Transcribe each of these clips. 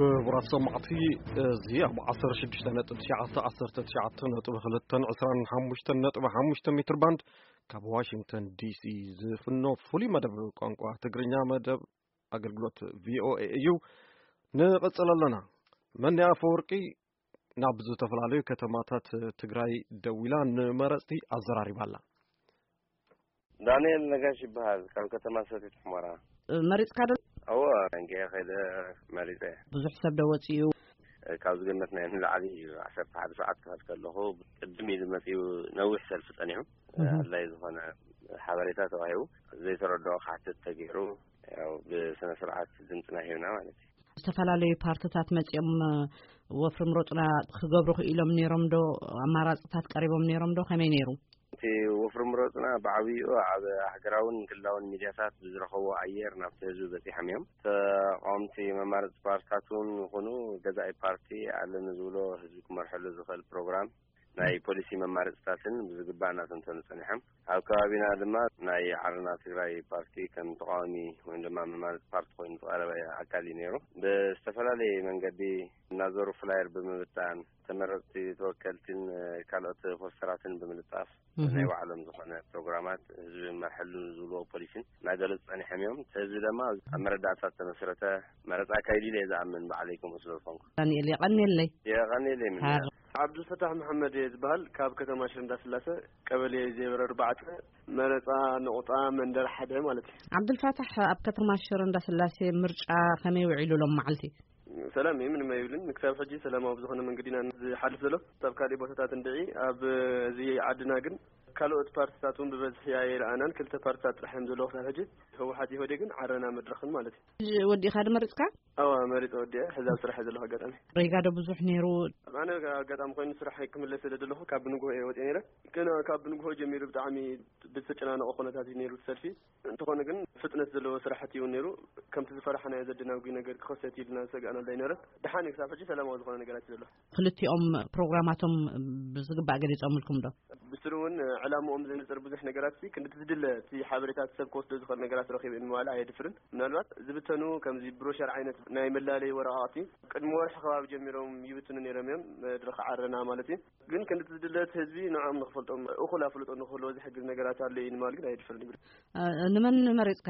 ክቡራት ሰማዕቲ፣ እዚ ኣብ ዓሰርተ ሽዱሽተ ነጥቢ ትሽዓተ፣ ዓሰርተ ትሽዓተ ነጥቢ ክልተ፣ ዕስራን ሓሙሽተን ነጥቢ ሓሙሽተ ሜትር ባንድ ካብ ዋሽንግተን ዲሲ ዝፍኖ ፍሉይ መደብ ቋንቋ ትግርኛ፣ መደብ ኣገልግሎት ቪኦኤ እዩ። ንቐጽል ኣለና። መኒ ኣፈወርቂ ናብ ዝተፈላለዩ ከተማታት ትግራይ ደዊላ ንመረጽቲ ኣዘራሪባ ኣላ። ዳንኤል ነጋሽ ይበሃል፣ ካብ ከተማ ሰቲት ሑመራ። መሪጽካ ዶ? እወ፣ እንጌ ኸይደ መሪጸ። ብዙሕ ሰብ ዶ ወጺኡ? ካብ ዝገመትናዮ ንላዕሊ እዩ። ዓሰርተ ሓደ ሰዓት ክኸድ ከለኹ፣ ቅድም ኢሉ መጺኡ፣ ነዊሕ ሰልፊ ጸኒሑ። እህ። ኣድላይ ዝኾነ ሓበሬታ ተዋሂቡ፣ ዘይተረድኦ ክሓትት ተገይሩ፣ ያው ብስነ ስርዓት ድምፅና ሂብና ማለት እዩ። ዝተፈላለዩ ፓርትታት መጺኦም፣ ወፍሪ ምረጡና ክገብሩ ክኢሎም ነይሮም ዶ? ኣማራጽታት ቀሪቦም ነይሮም ዶ? ከመይ ነይሩ? እቲ ወፍሪ ምረጡና ብዓብይኡ ኣብ ሃገራውን ክልላውን ሚድያታት ብዝረኸቦ ኣየር ናብቲ ህዝቢ በጺሖም እዮም። ተቃወምቲ መማረጽቲ ፓርትታት እውን ይኹኑ ገዛኢ ፓርቲ ኣለኒ ዝብሎ ህዝቢ ክመርሐሉ ዝኽእል ፕሮግራም ናይ ፖሊሲ መማረጽታትን ብዝግባእ እናተንተኑ ጸኒሖም። ኣብ ከባቢና ድማ ናይ ዓረና ትግራይ ፓርቲ ከም ተቃዋሚ ወይ ድማ መማረጺ ፓርቲ ኮይኑ ዝቐረበ ኣካል እዩ ነይሩ። ብዝተፈላለየ መንገዲ እናዞሩ ፍላየር ብምብታን፣ ተመረጽቲ ተወከልትን ካልኦት ፖስተራትን ብምልጣፍ፣ እህ። ናይ ባዕሎም ዝኾነ ፕሮግራማት ህዝቢ መርሐሉ ዝብልዎ ፖሊሲን እናገለጹ ጸኒሖም እዮም። እቲ ህዝቢ ድማ ኣብ መረዳእታ ዝተመስረተ መረጻ ኣካይዱ ኢለ እየ ዝኣምን፣ ባዕለይ ከምኡ ስለ ዝኾንኩ። ዳንኤል፣ የቐንየለይ። የቐንየለይ። ምን? ሃር- ዓብዱልፈታሕ መሐመድ እየ ዝበሃል፣ ካብ ከተማ ሽረ እንዳስላሰ፣ ቀበሌ ዜሮ ኣርባዕተ፣ መረጻ ነቑጣ መንደር ሓደ ማለት እዩ። ዓብዱልፈታሕ፣ ኣብ ከተማ ሽረ እንዳስላሴ ምርጫ ከመይ ውዒሉ ሎም መዓልቲ? ሰላም እዩ፣ ምንም ኣይብልን። ንክሳብ ሕጂ ሰላማዊ ብዝኾነ መንገዲ ኢና ዝሓልፍ ዘሎ። ኣብ ካልእ ቦታታት እንድዒ፣ ኣብ እዚ ዓድና ግን ካልኦት ፓርትታት እውን ብበዝሒ ኣይረኣናን። ክልተ ፓርትታት ጥራሕ እዮም ዘለዉ ክሳብ ሕጂ፣ ህወሓት ኢህወዴግን ዓረና መድረኽን ማለት እዩ። ወዲእኻ ዶ መሪጽካ? ኣዋ፣ መሪጸ ወዲአ፣ ሕዚ ኣብ ስራሕ እየ ዘለኹ። ኣጋጣሚ ሬጋ ዶ ብዙሕ ነይሩ? ኣነ ኣጋጣሚ ኮይኑ ስራሕ ክምለስ ስለ ዘለኹ ካብ ብንግሆ እየ ወፂአ ነይረ። ግን ካብ ብንግሆ ጀሚሩ ብጣዕሚ ብዝተጨናነቐ ኩነታት እዩ ነይሩ እቲ ሰልፊ። እንተኾነ ግን ፍጥነት ዘለዎ ስራሕቲ እዩ ነይሩ። ከምቲ ዝፈራሕናዮ ዘደናጉ ነገር ክኸሰት ኢልና ዝሰጋእናሉ ኣይነበረን። ደሓን እዩ፣ ክሳብ ሕጂ ሰላማዊ ዝኾነ ነገራት እዩ ዘሎ። ክልቲኦም ፕሮግራማቶም ብዝግባእ ገሊጾምልኩም ዶ? ብስሩ እውን ዕላምኦም ዘንጽር ብዙሕ ነገራት ሲ ክንዲ ዝድለ እቲ ሓበሬታት ሰብ ክወስዶ ዝኽእል ነገራት ረኺበ ንምባል ኣየድፍርን። ምናልባት ዝብተኑ ከምዚ ብሮሸር ዓይነት ናይ መላለይ ወረቓቕቲ ቅድሚ ወርሒ ከባቢ ጀሚሮም ይብትኑ ነይሮም እዮም፣ መድረኽ ዓረና ማለት እዩ። ግን ክንዲ ዝድለ እቲ ህዝቢ ንዕኦም ንኽፈልጦም እኹል ኣፍልጦ ንኽህልዎ ዝሕግዝ ነገራት ኣሎ እዩ ንምባል ግን ኣየድፍርን ይብል። እ፣ ንመን መሪጽካ?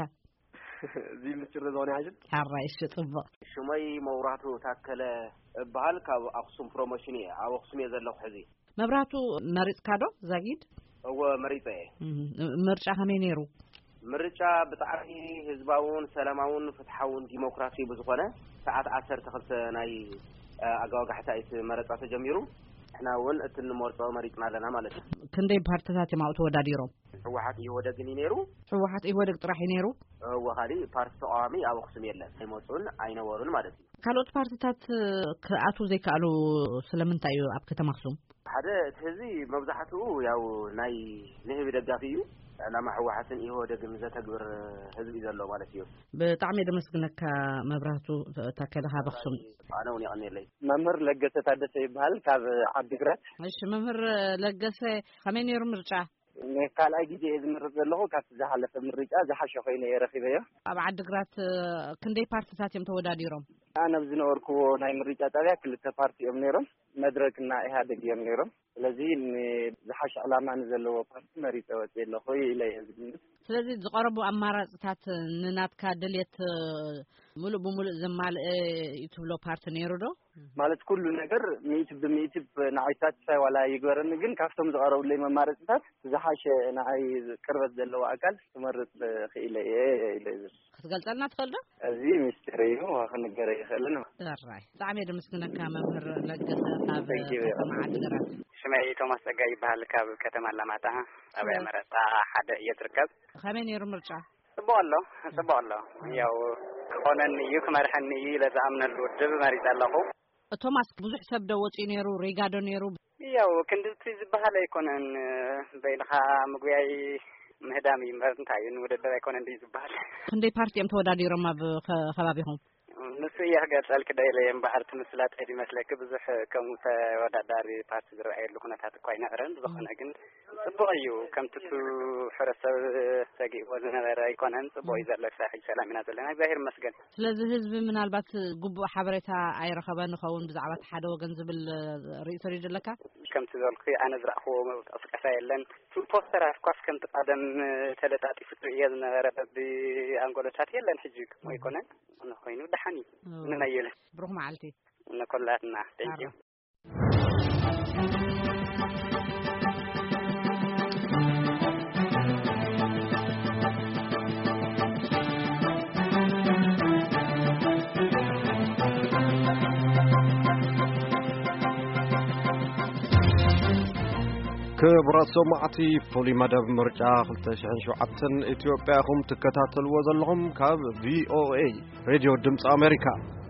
እዚ ምስጢር ዝኾነ ይሓሽን። ሓራይ፣ እሺ፣ ጽቡቕ። ሽመይ መብራህቱ ታከለ እበሃል፣ ካብ ኣኽሱም ፕሮሞሽን እየ። ኣብ ኣኽሱም እየ ዘለኹ ሕዚ። መብራህቱ መሪጽካ ዶ ዛጊድ? እወ፣ መሪጸ እየ። እም፣ ምርጫ ከመይ ነይሩ? ምርጫ ብጣዕሚ ህዝባውን ሰላማውን ፍትሓውን ዲሞክራሲ ብዝኾነ ሰዓት ዓሰርተ ክልተ ናይ፣ እ፣ ኣጋወጋሕታ እዩ እቲ መረጻ ተጀሚሩ። ንሕና እውን እቲ እንመርጾ መሪጽና ኣለና ማለት እዩ። ክንደይ ፓርትታት እዮም ኣብኡ ተወዳዲሮም? ህወሓት ኢህወደግን እዩ ነይሩ። ህወሓት ኢህወደግ ጥራሕ እዩ ነይሩ? እወ፣ ካሊእ ፓርቲ ተቃዋሚ ኣብ ኣኽሱም የለን። ኣይመጹን ኣይነበሩን ማለት እዩ። ካልኦት ፓርትታት ክኣትዉ ዘይከኣሉ ስለምንታይ እዩ ኣብ ከተማ ኣኽሱም? ሓደ፣ እቲ ህዝቢ መብዛሕትኡ ያው ናይ ንህቢ ደጋፊ እዩ። ዕላማ ህወሓትን ኢህወደግን ዘተግብር ህዝቢ እዩ ዘሎ ማለት እዩ። ብጣዕሚ እየ ደመስግነካ መብራህቱ ታከለ ካብ ኣኽሱም። ኣነ እውን የቐንየለይ። መምህር ለገሰ ታደሰ ይበሃል፣ ካብ ዓዲግራት። እሺ መምህር ለገሰ፣ ከመይ ነይሩ ምርጫ? ንካልኣይ ግዜ እየ ዝምርጽ ዘለኹ። ካብቲ ዝሓለፈ ምርጫ ዝሓሸ ኮይኑ እየ ረኺበዮ። ኣብ ዓዲግራት፣ እ፣ ክንደይ ፓርትታት እዮም ተወዳዲሮም? ኣነ ኣብ ዝነበርኩዎ ናይ ምርጫ ጣብያ ክልተ ፓርቲ እዮም ነይሮም፣ መድረክና ኢህኣዴግ እዮም ነይሮም። ስለዚ ንዝሓሸ ዕላማ ንዘለዎ ፓርቲ መሪጸ ወፅየ ኣለኹ ኢለ እየ ዝግምት። ስለዚ ዝቐረቡ ኣማራፅታት ንናትካ ድልየት፣ እ፣ ሙሉእ ብሙሉእ ዘማልአ እዩ ትብሎ ፓርቲ ነይሩ ዶ? ማለት ኩሉ ነገር ሚእቲ ብሚእቲ ንዓይ ሳቲስፋይ ዋላ ይግበረኒ፣ ግን ካብቶም ዝቐረቡለይ መማረፅታት ዝሓሸ ንዓይ ቅርበት ዘለዎ ኣካል ክመርፅ ክኢለ እየ ኢለ እዩ። ክትገልፀልና ትኽእል ዶ? እዚ ሚስጢር እዩ፣ ክንገር ኣይኽእልን። ጥራይ። ብጣዕሚ እየ ደመስግነካ መምህር ለገሰ ካብ Thank you። ከተማ ዓዲግራት። ሽመይ ቶማስ ጸጋይ ይበሃል፣ ካብ ከተማ ኣላማጣ፣ ጣብያ እወ። መረጣ ሓደ እየ ዝርከብ። ከመይ ነይሩ ምርጫ? ጽቡቕ ኣሎ፣ ጽቡቕ ኣሎ። ያው ክኾነኒ እዩ፣ ክመርሐኒ እዩ ኢለ ዝኣምነሉ ውድብ መሪጸ ኣለኹ። ቶማስ፣ ብዙሕ ሰብ ዶ ወጺኡ ነይሩ? ሪጋ ዶ ነይሩ? ያው ክንድቲ ዝበሃል ኣይኮነን፣ በይንኻ ምጉያይ ምህዳም እዩ እምበር እንታይ እዩ፣ ንውድድር ኣይኮነን ድዩ ዝበሃል። ክንደይ ፓርቲ እዮም ተወዳዲሮም ኣብ ከ-፣ ከባቢኹም? ንሱ እየ ክገልጸልኪ ደኢለ እየ እምበኣር፣ እቲ ምስላጥ እዩ ዝመስለኪ። ብዙሕ ከምኡ ተወዳዳሪ ፓርቲ ዝረኣየሉ ኩነታት እኳ ኣይነበረን። ብዝኾነ ግን ጽቡቕ እዩ። ከምቲ እቲ ሕብረተሰብ ሰጊእዎ ዝነበረ ኣይኮነን። ጽቡቕ እዩ ዘሎ። ክሳብ ሕጂ ሰላም ኢና ዘለና። እግዚኣብሔር ይመስገን። ስለዚ ህዝቢ ምናልባት ግቡእ ሓበሬታ ኣይረኸበን ይኸውን ብዛዕባ እቲ ሓደ ወገን ዝብል ርእይቶ ዶ ኣለካ? ከምቲ ዝበልኩ ኣነ ዝረእኽዎ ቅስቀሳ የለን። እቲ ፖስተር ኣፍኳስ ከምቲ ቀደም ተለጣጢፉ ትርእዮ ዝነበረ በቢ ኣንጎሎታት የለን። ሕጂ ከምኡ ኣይኮነን። ዝኾነ ኮይኑ ደሓን እዩ። እዎ። ንመየለ። ብሩኽ መዓልቲ። ንኩላትና። Thank you። ክቡራት ሰማዕቲ፣ ፍሉይ መደብ ምርጫ ክልተ ሽሕን ሸውዓተን ኢትዮጵያ ኢኹም ትከታተልዎ ዘለኹም ካብ ቪ ኦ ኤ ሬድዮ ድምፂ ኣሜሪካ።